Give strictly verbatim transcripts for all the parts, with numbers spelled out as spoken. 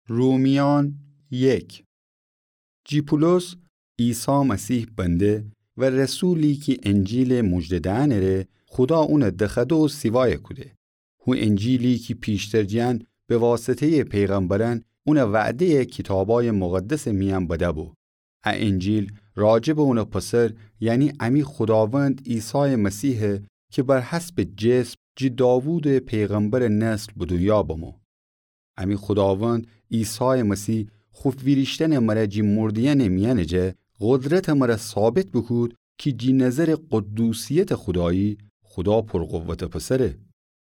رومیان یک. جی پولس، عیسی مسیح بنده و رسولی کی انجیلٚ موژده دئنٚ ره خودا اونَ دخوأده و سیوایَ کوده. هو انجیلی کی پیشتر جیان به واسطه‌یٚ پیغمبرأن اونَ وعده‌یَ کیتابأیٚ مقدسٚ میأن بده‌بو. ا انجیل راجعٚ اونٚ پسر، یعنی امی خوداوند عیسایٚ مسیحه کی بر حسبٚ جسم جی داوودٚ پیغمبرٚ نسل به دونیا بمو. امی خوداوند عیسایٚ مسیح خو ویریشتنٚ مره جی مرده‌یأنٚ میأنٚ جا قدرتٚ مره ثابت بوکود کی جی نظرٚ قدوسیتٚ خودایی، خودا پرقوتٚ پسره.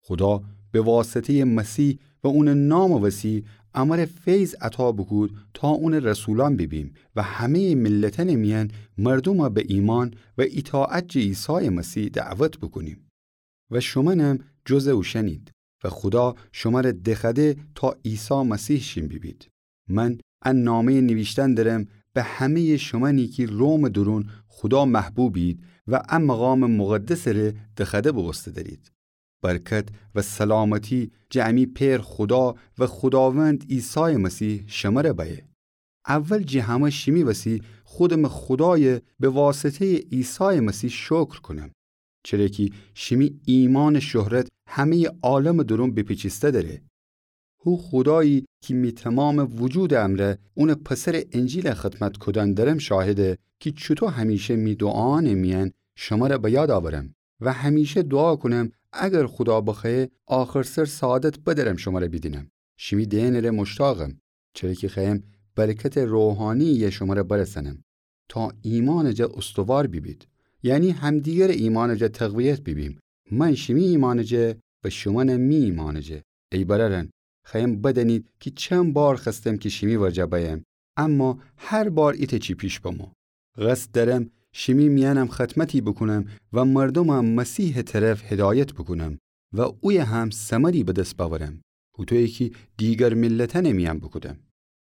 خودا به واسطه‌یٚ مسیح و اونٚ نامٚ وسی امره فیض عطا بوکود تا اونٚ رسولأن بیبیم و همه‌یٚ ملتأنٚ میأن مردومَ به ایمأن و ایطاعت جٚه عیسایٚ مسیح دعوت بوکونیم. و شومأنم جزٚ اوشأنید و خودا شمره دخوأده تا عیسی مسیح شین بیبید. من ا نامه‌یٚ نیویشتن درم به همه‌یٚ شومأنی کی رومٚ دورون خودا محبوبید و ا مقامٚ مقدسٚ ره دخوأده بوبوسته درید. برکت و سلامتی جٚه امی پئر خودا و خوداوند عیسایٚ مسیح شمره بأیه. اول جٚه همه شیمی وسی خودمٚ خودایَ به واسطه‌یٚ عیسایٚ مسیح شکر کونم، چره کی شیمی ایمأنٚ شهرت همه‌یٚ عالمٚ دورون بپیچیسته دره. هو خودایی کی می تومامٚ وجودٚ امرأ اونٚ پسرٚ انجیلَ خدمت کودن درم شاهده کی چوطو همیشه می دوعایأنٚ میأن شمره به یاد آورم و همیشه دوعا کونم اگر خودا بخوأیه آخرسر سعادت بدرم شمره بیدینم. شیمی دئنٚ ره مشتاقم، چره کی خوأیم برکتٚ روحانی‌یَ شمره برسأنم تا ایمأنٚ جا استوار بیبید، یعنی همدیگرٚ ایمأنٚ جا تقویت بیبیم. من شیمی ایمأنٚ جا و شومأنم می ایمأنٚ جا. ای برأرأن، خوأیم بدأنید کی چند بار خوأستم کی شیمی ورجه بأیم، اما هر بار ایتأ چی پیش بمو. قصد دأرم شیمی میأنم خدمتی بوکونم و مردومَ مسیحٚ طرف هدایت بوکونم و اویه هم ثمری به دس بأورم، هوطویی کی دیگر ملتأنٚ میأن بوکودم.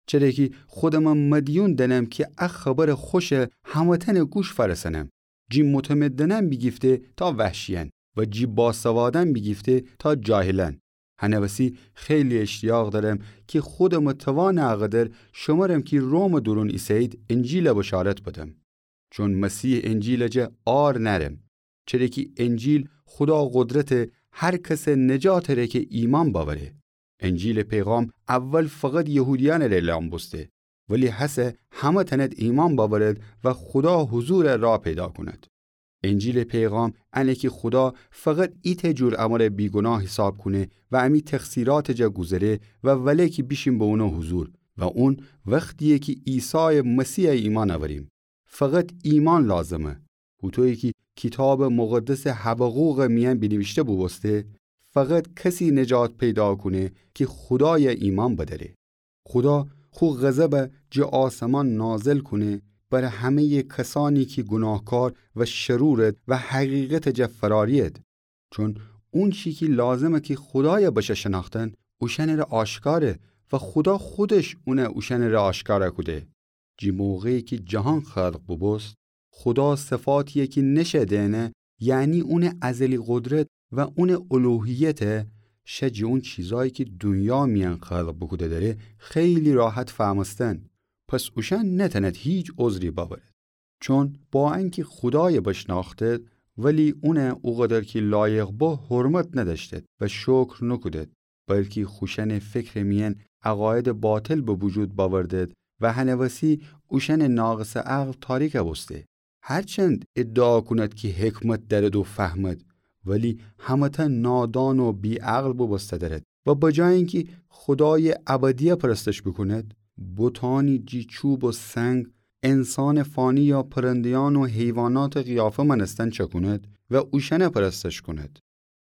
چره کی خودمَ مدیون دأنم کی ا خبرٚ خوشَ همه‌تأنٚ گوش فأرسأنم، جی متمدنأن بیگیفته تا وحشیأن و جی باسوادأن بیگیفته تا جاهلأن. هنٚ وسی خیلی اشتیاق دأرم کی خودمٚ توانٚ اقدر شمرم کی رومٚ دورون ایسه‌یید انجیلَ بشارت بدم. چون مسیحٚ انجیلٚ جا عار نأرم، چره کی انجیل خودا قدرته هر کسٚ نجاتٚ ره کی ایمأن بأوره. انجیلٚ پیغام اول فقط یهودیأنٚ ره اعلام بوسته، ولی هسه همه‌تأنید ایمأن بأورید و خودا حضورٚ راه پیدا کونید. انجیلٚ پیغام انه کی خودا فقط ایتأ جور امره بیگوناه حساب کونه و امی تقصیراتٚ جا گوذره و وله کی بیشیم به اونٚ حضور و اون وختییه کی عیسایٚ مسیحَ ایمأن اوریم. فقط ایمأن لازمه. هوطویی کی کیتابٚ مقدسٚ حبقوقٚ میأن بینیویشته بوبوسته، فقط کسی نجات پیدا کونه کی خودایَ ایمأن بدأره. خودا خو غضبَ جٚه آسمان نازل کونه بر همه‌یٚ کسأنی کی گوناهکار و شرورید و حقیقتٚ جا فرارید. چون اونچی کی لازمه کی خودایَ بشه شنأختن، اوشأنٚ ره آشکاره و خودا خودش اونَ اوشأنٚ ره آشکار کوده. جٚه موقعی کی جهان خلق بوبوست، خودا صفاتیی کی نشه دئنه، یعنی اونٚ ازلی قدرت و اونٚ الوهیت، شه جٚه اون چیزایی کی دونیا میأن خلق بوکوده دأره خیلی راحت فهمستن. پس اوشأن نتأنید هیچ عذری بأورید. چون با انکی خودای بشنأختید، ولی اونَ اوقدر کی لایق به حرمت ندأشتید و شکر نوکودید، بلکی خوشأنٚ فکرٚ میأن عقایدٚ باطل به وجود بأوردید و هنٚ وسی اوشأنٚ ناقصٚ عقل تاریک بوسته. هرچند ادعا کونید کی حکمت دأرید و فهمید، ولی همه‌تأن نادان و بی‌عقل بوبوسته دأرید و بجای انکی خودایٚ ابدی پرستش بوکونید، بتأنی جٚه چوب و سنگ، انسانٚ فانی یا پرنده‌یأن و حیواناتٚ قیافه مأنستن چأکونید و اوشأنَ پرستش کونید.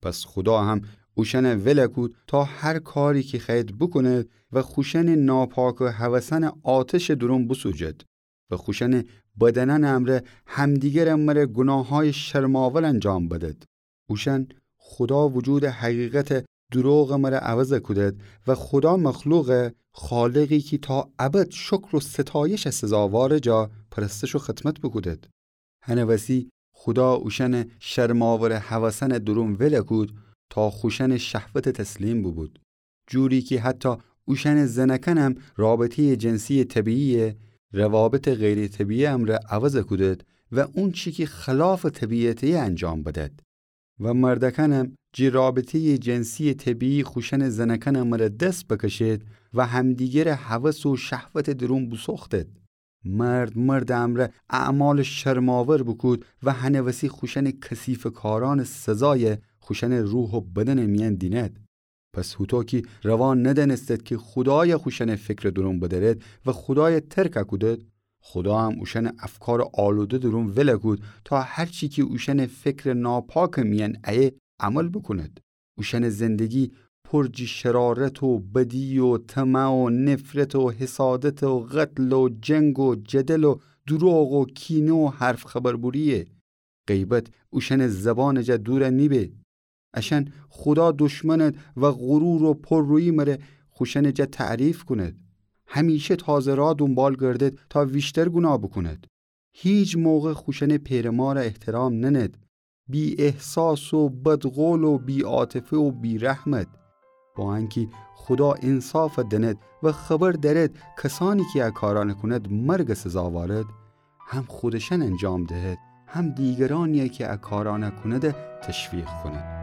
پس خودا هم اوشأنَ ول کود تا هر کاری کی خوأیید بوکونید و خوشأنٚ ناپاکٚ هوسأنٚ آتشٚ دورون بوسوجید و خوشأنٚ بدنأنٚ امرأ همدیگرٚ مره گوناهأیٚ شرم‌آور انجام بدید. اوشأن خودا وجودٚ حقیقتٚ دروغٚ مره عوض کودید و خودا مخلوقٚ خالقی کی تا ابد شکر و ستایشٚ سزاوارٚ جا پرستش و خدمت بوکودید. هنٚ وسی خودا اوشأنٚ شرم‌آورٚ هوسأنٚ دورون ول کود تا خوشأنٚ شهوت تسلیم بوبود، جوری کی حتی اوشأنٚ زنأکأنم رابطه‌یٚ جنسی‌یٚ طبیعی‌یَ روابطٚ غیرطبیعی امرأ عوض کودد و اونچی کی خلاف طبیعته انجام بدد. و مردأکأنم جٚه رابطه‌یٚ جنسی‌یٚ طبیعی خوشأنٚ زنأکأنٚ مره دس بکشید و همدیگرٚ هوس و شهوتٚ درون بوسوختد. مرد مردٚ امرأ اعمالٚ شرم‌آور بوکود و هنٚ وسی خوشأنٚ کثیفٚ کارأنٚ سزایَ خوشأنٚ روح و بدنٚ میأن دیند. پس هوطو کی روا ندأنستد کی خودایَ خوشأنٚ فکرٚ درون بدأرد و خودایَ ترک کودد، خوداهم اوشأنٚ افکارٚ آلوده درون ول کود تا هرچی کی اوشأنٚ فکرٚ ناپاکٚ میأن ایه عمل بوکوند. اوشأنٚ زندگی پر جٚه شرارت و بدی و طمع و نفرت و حسادت و قتل و جنگ و جدل و دروغ و کینه و حرف خبربوری‌یه. غیبت اوشأنٚ زبانٚ جا دور نیبه. اشأن خودا دشمند و غرور و پررویی مره خوشأنٚ جا تعریف کند. همیشه تازه راه دونبال گردد تا ویشتر گوناه بوکند. هیچ موقع خوشأنٚ پئرٚ مارَ احترام نند. بی‌احساس و بدقول و بی‌عاطفه و بی‌رحمد. با انکی خودا انصافَ دأند و خبر دأرد کسأنی کی ا کارأنَ کند مرگٚ سزاوارد، هم خودشأن انجام دهد، هم دیگرأنی‌یَ کی ا کارأنَ کونده تشویق کند.